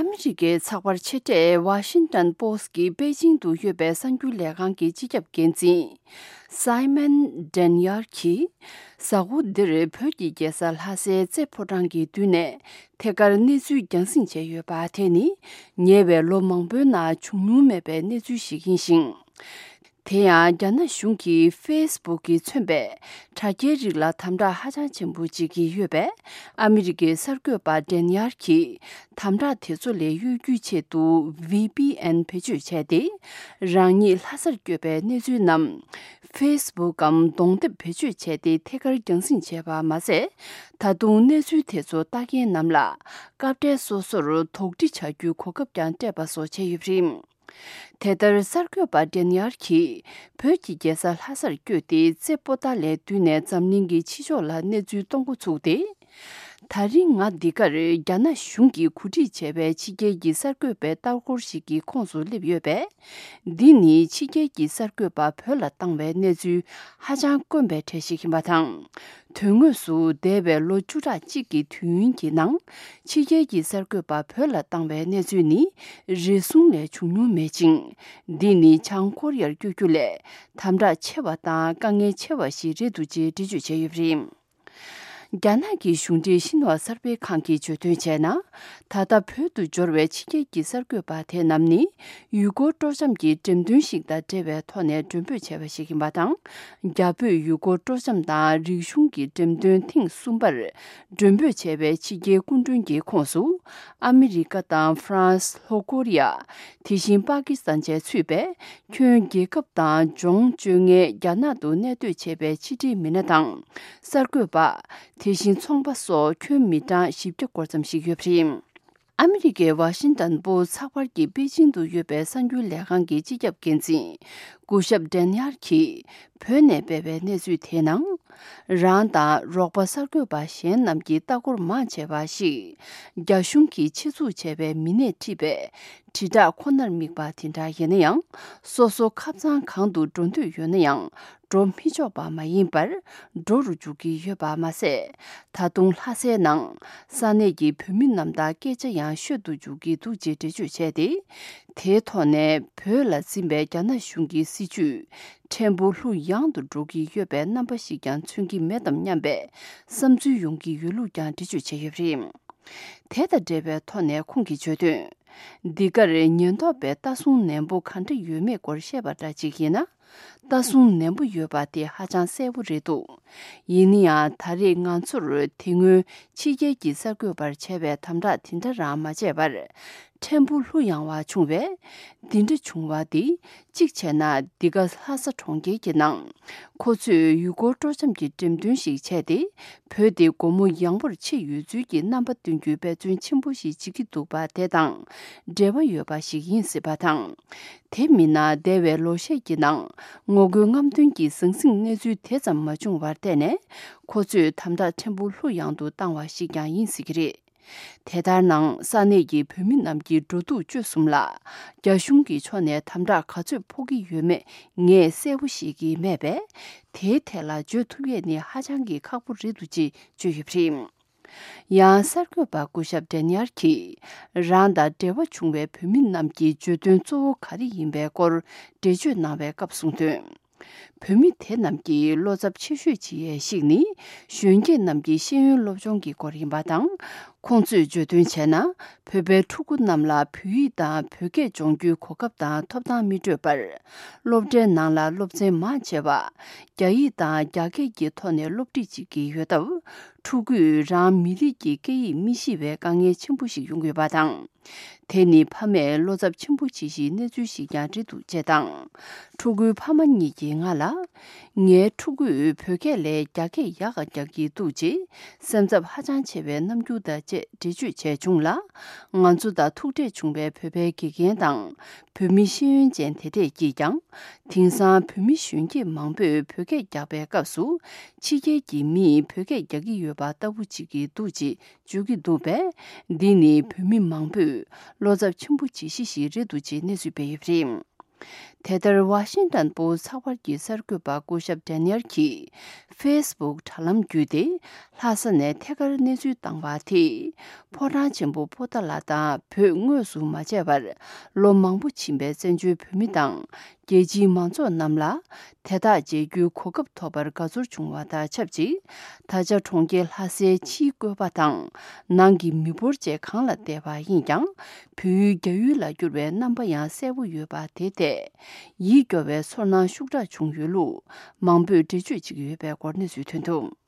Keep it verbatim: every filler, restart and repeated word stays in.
ཨ་མི་རི་ཀའི་ཚགས་པར་ཆེ་གྲས་ཝ་ཤིང་ཏོན་པོ་སི་ཊི་གི་པེ་ཅིང་དུ་ཡོད་པའི་གསར་འགྱུར་ལས་ཁང་གི་སྤྱི་ཁྱབ་འགན་འཛིན་སའི་མན་ཌན་ཡར་གྱིས། གཟའ་འཁོར་འདིར་བོད་ཀྱི་རྒྱལ་ས་ལྷ་སའི་རྩེ་ཕོ་བྲང་གི་མདུན་ནས་ཐད་ཀར་གནས་ཚུལ་རྒྱང་སྲིང་བྱས་ཡོད་པ་དེ་ནི། ཉེ་བའི་ལོ་མང་པོའི་ནང་བྱུང་མྱོང་མེད་པའི་གནས་ཚུལ་ཞིག་ཡིན་ཞིང་། དེ་ཡང་རྒྱ་ནག་གཞུང་གིས་ཧྥེ་སི་བུག་གིས་མཚོན་པའི་དྲ་རྒྱའི་རིགས་ལ་དམ་དྲག་ཧ་ཅང་ཆེན་པོ་བྱེད་ཀྱི་ཡོད་པས། ཨ་མི་རི་ཀའི་གསར་འགོད་པ་ཌན་ཡར་གྱིས་དམ་དྲག་དེ་ཚོ་ལས་གཡོལ་རྒྱུའི་ཆེད་དུ་ཝི་པི་ཨེན་བེད་སྤྱོད་བྱས་ཏེ། རང་ཉིད་ལྷ་སར་བསྐྱོད་པའི་གནས་ཚུལ་རྣམས་ཧྥེ་སི་བུག་གམ་གདོང་དེབ་བེད་སྤྱོད་བྱས་ཏེ་ཐད་ཀར་རྒྱང་སྲིང་བྱས་པ་མ་ཟད། ད་དུང་གནས་ཚུལ་དེ་ཚོ་ལྟ་མཁན་རྣམས་ལ་སྐབས་འཕྲལ་སོ་སོར་དོགས་འདྲི་བྱ་རྒྱུའི་གོ་སྐབས་ཀྱང་སྤྲད་པ་སོགས་བྱས་ཡོད་པ་རེད། དེ་ལྟར་གསར་འགོད་པ་ཌན་ཡར་གྱིས་བོད་ཀྱི་རྒྱལ་ས་ལྷ་སར་བསྐྱོད་དེ་རྩེ་པོ་ཏཱ་ལའི་མདུན་ནས་འཛམ་གླིང་གི་ཕྱི་ཕྱོགས་ལ་གནས་ཚུལ་གཏོང་འགོ་ཚུགས་ཏེ། ད་རིང་ང་འདི་གར་རྒྱ་ནག་གཞུང་གིས་གོ་སྒྲིག་བྱས་པའི་ཕྱི་རྒྱལ་གྱི་གསར་འགོད་པའི་ལྟ་སྐོར་ཞིག་གི་ཁོངས་སུ་སླེབས་ཡོད་པས། འདི་ནི་ཕྱི་རྒྱལ་གྱི་གསར་འགོད་པ་བོད་ལ་བཏང་བའི་གནས་ཚུལ་ཧ་ཅང་དཀོན་པའི་གྲས་ཤིག་ཡིན་པ་དང་། དོན་དངོས་སུ་འདས་པའི་ལོ་བཅུ་ཕྲག་གཅིག་གི་དུས་ཡུན་གྱི་ནང་། ཕྱི་རྒྱལ་གྱི་གསར་འགོད་པ་བོད་ལ་བཏང་བའི་གནས་ཚུལ་ནི་རེ་ཟུང་ལས་བྱུང་མྱོང་མེད་ཅིང་། འདི་ནི་བྱང་ཀོ་རི་ཡར་བསྐྱོད་རྒྱུ་ལས་དམ་དྲག་ཆེ་བ་དང་དཀའ་ངལ་ཆེ་བ་ཞིག་རེད་འདུག་ཅེས་འགྲེལ་བརྗོད་བྱས་ཡོད་པ་རེད། རྒྱ་ནག་གི་གཞུང་འབྲེལ་ཤིན་ཧྭ་གསར་སྤེལ་ཁང་གིས་བརྗོད་དོན་བྱས་ན། ད་ལྟ་བོད་དུ་འབྱོར་བའི་ཕྱི་རྒྱལ་གྱི་གསར་འགོད་པ་དེ་རྣམས་ནི། ཡུལ་སྐོར་སྤྲོ་འཆམ་གྱི་འགྲེམས་སྟོན་ཞིག་དང་འབྲེལ་བའི་ཐོག་ནས་མགྲོན་འབོད་བྱས་པ་ཞིག་ཡིན་པ་དང་། རྒྱ་བོད་ཡུལ་སྐོར་སྤྲོ་འཆམ་དང་རིག་གཞུང་གི་འགྲེམས་སྟོན་ཐེངས་གསུམ་པར་མགྲོན་འབོད་བྱས་པའི་ཕྱི་རྒྱལ་སྐུ་མགྲོན་གྱི་ཁོངས་སུ། ཨ་མི་རི་ཀ་དང་ཧྥ་རན་སི། ལྷོ་ཀོ་རི་ཡ། དེ་བཞིན་པ་ཀི་སི་ཐན་བཅས་ཚུད་པས། ཁྱོན་རྒྱལ་ཁབ་དང་ལྗོངས་སྤྱོད་མཁན་རྒྱ་ནག་ཏུ་གནས་སྡོད་བྱས་པའི་ཕྱི་འབྲེལ་མི་སྣ་དང་། གསར་འགོད་པ། དེ་བཞིན་ཚོང་པ་སོགས་ཁྱོན་མི་གྲངས་བཞི་བརྒྱ་སྐོར་ཙམ་ཞིག་ཡོད་པ་རེད། ཨ་མི་རི་ཀའི་ཝ་ཤིང་ཏོན་པོ་སི་ཚགས་པར་གྱི་པེ་ཅིང་དུ་ཡོད་པའི་གསར་འགྱུར་ལས་ཁང་གི་སྤྱི་ཁྱབ་འགན་འཛིན་སྐུ་ཞབས་ཌན་ཡར་གྱིས་བོད་ནས་སྤེལ་བའི་གནས་ཚུལ་དེའི་ནང་། རང་དང་རོགས་པ་གསར་འགོད་པ་གཞན་རྣམས་ཀྱི་ལྟ་སྐོར་མང་ཆེ་བ་ཞིག་རྒྱ་གཞུང་གིས་ཆེད་འཛུགས་བྱས་པའི་མི་སྣས་བྲིས་པའི་དྲིལ་བསྒྲགས་ཁོ་ནར་དམིགས་པ་དེ་འདྲ་ཡིན་ན་ཡང་། སོ་སོ་ཁབ་ཚང་གང་དུ་འགྲོ་འདོད་ཡོད་ན་ཡང་། འགྲོ་མི་ཆོག་པ་མ་ཡིན་པར་འགྲོ་རུ་འཇུག་གི་ཡོད་པ་མ་ཟད། ད་དུང་ལྷ་སའི་ནང་ས་གནས་ཀྱི་བོད་མི་རྣམས་དང་སྐད་ཆ་ཡང་ཤོད་དུ་འཇུག་གི་འདུག་ཅེས་འགྲེལ་བརྗོད་བྱས་ཏེ། དེའི་ཐོག་ནས་བོད་ལ་འཛིན་པའི་རྒྱ་ནག་གཞུང་གི་སྲིད་བྱུས་ཕྲན་བུ་ལྷུ་ཡངས་དུ་འགྲོ་གི་ཡོད་པའི་རྣམ་པ་ཞིག་ཀྱང་མཚོན་གྱི་མེད་དམ་སྙམ་པའི་བསམ་ཚུལ་ཡོང་གི་ཡོད་ལུགས་ཀྱང་འགྲེལ་བརྗོད་བྱས་ཡོད་པ་རེད། དེ་དང་འབྲེལ་བའི་ཐོག་ནས་ཁོང་གིས་བརྗོད་དོན། འདི་གར་ཉེན་རྟོག་པའི་ལྟ་སྲུང་ནན་པོ་གང་འདྲ་ཡོད་མེད་སྐོར་བཤད་པ་འདྲ་ཅིག་ཡིན་ན། ལྟ་སྲུང་ནན་པོ་ཡོད་པ་དེ་ཧ་ཅང་གསལ་པོ་རེད་འདུག་ཡིན་ན་ཡང་ད་རེས་ང་ཚོར་དེ་སྔོན་ཕྱི་རྒྱལ་གྱི་གསར་འགོད་པར་བྱས་པའི་དམ་དྲག་དེ་འདྲ་རང་མ་བྱས་པར་ཕྲན་བུ་ལྷུ་ཡངས་པ་བྱུང་བས། འདི་འདྲ་བྱུང་བ་འདི་གཅིག་བྱས་ན་འདི་ག་ལྷ་ས་གྲོང་ཁྱེར་གྱི་ནང་ཁོ་ཚོས་ཡུལ་སྐོར་སྤྲོ་འཆམ་གྱི་འགྲེམས་སྟོན་ཞིག་བྱས་ཏེ། བོད་དེ་སྒོ་མོ་ཡངས་པོར་ཕྱེ་ཡོད་ཚུལ་གྱི་རྣམ་པ་སྟོན་རྒྱུའི་འབད་བརྩོན་ཆེན་པོ་ཞིག་བྱེད་ཀྱི་འདུག་པ་དེ་དང་འབྲེལ་བ་ཡོད་པ་ཞིག་ཡིན་སྲིད་པ་དང་། དེ་མིན་ན་འདས་པའི་ལོ་ཤས་ཀྱི་ནང་ངོ་རྒོལ་རྔམ་སྟོན་གྱི་ཟང་ཟིང་གནས་ཚུལ་དེ་ཙམ་མ་བྱུང་བར་བརྟེན་ནས། ཁོ་ཚོས་དམ་དྲག་ཕྲན་བུ་ལྷུ་ཡངས་དུ་བཏང་བ་ཞིག་ཀྱང་ཡིན་སྲིད་ཀྱི་རེད། དེ་ལྟར་ནང་ས་གནས་ཀྱི་བོད་མི་རྣམས་ཀྱི་འགྲོ་འདུག་སྤྱོད་གསུམ་ལ་རྒྱ་གཞུང་གི་ཕྱོགས་ནས་དམ་དྲག་ག་ཚོད་ཕོག་གི་ཡོད་མེད་ངས་གསལ་པོ་ཤེས་ཀྱི་མེད་པས། དེའི་ཐད་ལ་བརྗོད་ཐུབ་ཡས་ནི་ཧ་ཅང་གི་ཁག་པོ་རེད་འདུག་ཅེས་བརྗོད་ཡོད་པ་རེད། ཡང་གསར་འགོད་པ་སྐུ་ཞབས་ཌན་ཡར་གྱིས་རང་དང་འབྲེལ་བ་བྱུང་བའི་བོད་མི་རྣམས་ཀྱི་བརྗོད་དོན་གཙོ་བོ་ག་རེ་ཡིན་པའི་སྐོར་འགྲེལ་བརྗོད་གནང་བའི་སྐབས་གསུངས་དོན། བོད་མི་དེ་རྣམས་ཀྱི་བློ་འཚབ་ཆེ་ཤོས་བྱེད་ཡས་ཤིག་ནི་གཞོན་སྐྱེས་རྣམས་ཀྱི་ཤེས་ཡོན་སློབ་སྦྱོང་གི་སྐོར་ཡིན་པ་དང་། ཁོང་ཚོས་བརྗོད་དོན་བྱས་ན། བོད་པའི་ཕྲུ་གུ་རྣམས་ལ་བོད་ཡིག་དང་བོད་སྐད་སྦྱོང་རྒྱུའི་གོ་སྐབས་དང་ཐོབ་ཐང་མི་སྤྲོད་པར། སློབ་གྲྭའི་ནང་ལ་སློབ་ཚན་མང་ཆེ་བ་རྒྱ་ཡིག་དང་རྒྱ་སྐད་ཀྱི་ཐོག་ནས་སློབ་ཁྲིད་བྱེད་ཀྱི་ཡོད་སྟབས། ཕྲུ་གུས་རང་མི་རིགས་ཀྱི་སྐད་ཡིག་མི་ཤེས་པའི་དཀའ་ངལ་ཆེན་པོ་ཞིག་ཡོང་གི་ཡོད་པ་དང་། དེ་ནི་ཕ་མས་བློ་འཚབ་ཆེན་པོ་བྱེད་གཞིའི་གནས་ཚུལ་ཞིག་ཀྱང་རེད་འདུག་ཅེས་དང་། ཕྲུ་གུའི་ཕ་མ་གཉིས་ཀྱིས་ང་ལ། ངའི་ཕྲུ་གུས་བོད་སྐད་ལས་རྒྱ་སྐད་ཡག་ག་རྒྱག་གི་འདུག་ཅེས་སེམས་འཚབ་ཧ་ཅང་ཆེ་བའི་རྣམ་འགྱུར་དང་བཅས་འགྲེལ་བརྗོད་བྱས་བྱུང་ལ། ང་ཚོ་དང་ཐུག་འཕྲད་བྱུང་བའི་བོད་པའི་དགེ་རྒན་དང་། བོད་མི་ཤེས་ཡོན་ཅན་དེ་འདྲས་ཀྱིས་ཀྱང་། དེང་སང་བོད་མི་གཞོན་སྐྱེས་མང་པོས་བོད་སྐད་རྒྱག་པའི་སྐབས་སུ། ཕྱི་རྒྱལ་གྱི་མིས་བོད་སྐད་རྒྱག་གི་ཡོད་པ་ལྟ་བུ་བྱེད་ཀྱི་འདུག་ཅེས། བརྗོད་ཀྱི་འདུག་པས། འདི་ནི་བོད་མི་མང་པོས་བློ་འཚབ་ཆེན་པོ་བྱེད་གཞི་ཞིག་རེད་འདུག་ཅེས་གནས་ཚུལ་སྤེལ་ཡོད་པ་རེད། དེ་ལྟར་ཝ་ཤིང་ཏན་པོ་སི་ཚགས་པར་གྱི་གསར་འགོད་པ་སྐུ་ཞབས་ཌེ་ནི་ཡལ་གྱིས་ཕེ་སི་བུག་དྲ་ལམ་བརྒྱུད་དེ་ལྷ་ས་ནས་ཐད་ཀར་གནས་ཚུལ་བཏང་བ་དེས། ཕོ་བྲང་ཆེན་པོ་པོ་ཏཱ་ལ་དང་བོད་དངོས་སུ་མ་མཇལ་བར་ལོ་མང་པོ་ཕྱིན་པའི་བཙན་བྱོལ་བོད་མི་དང་རྒྱལ་སྤྱིའི་མང་ཚོགས་རྣམས་ལ་དེ་དག་མཇལ་རྒྱུའི་གོ་སྐབས་ཐོབ་པར་དགའ་ཚོར་བྱུང་བ་དང་ཆབས་ཅིག་ད་ཆ་གྲོང་ཁྱེར་ལྷ་སའི་ཕྱིའི་བཀོད་པ་དང་ནང་གི་མི་འབོར་བཅས་གང་ལ་བལྟས་པ་ཡིན་ཀྱང་། བོད་ཡུལ་རྒྱ་ཡུལ་ལ་བསྒྱུར་བའི་རྣམ་པ་ཡང་གསལ་པོ་ཡོད་པ་དེ་ཐད་ཡིད་སྐྱོ་བའི་ཚོར་སྣང་ཤུགས་དྲག་བྱུང་ཡོད་ལུགས་མང་པོས་འགྲེལ་བརྗོད་བྱེད་ཀྱི་ཡོད་པའི་སྐོར་གནས་ཚུལ་ཐོན་འདུག།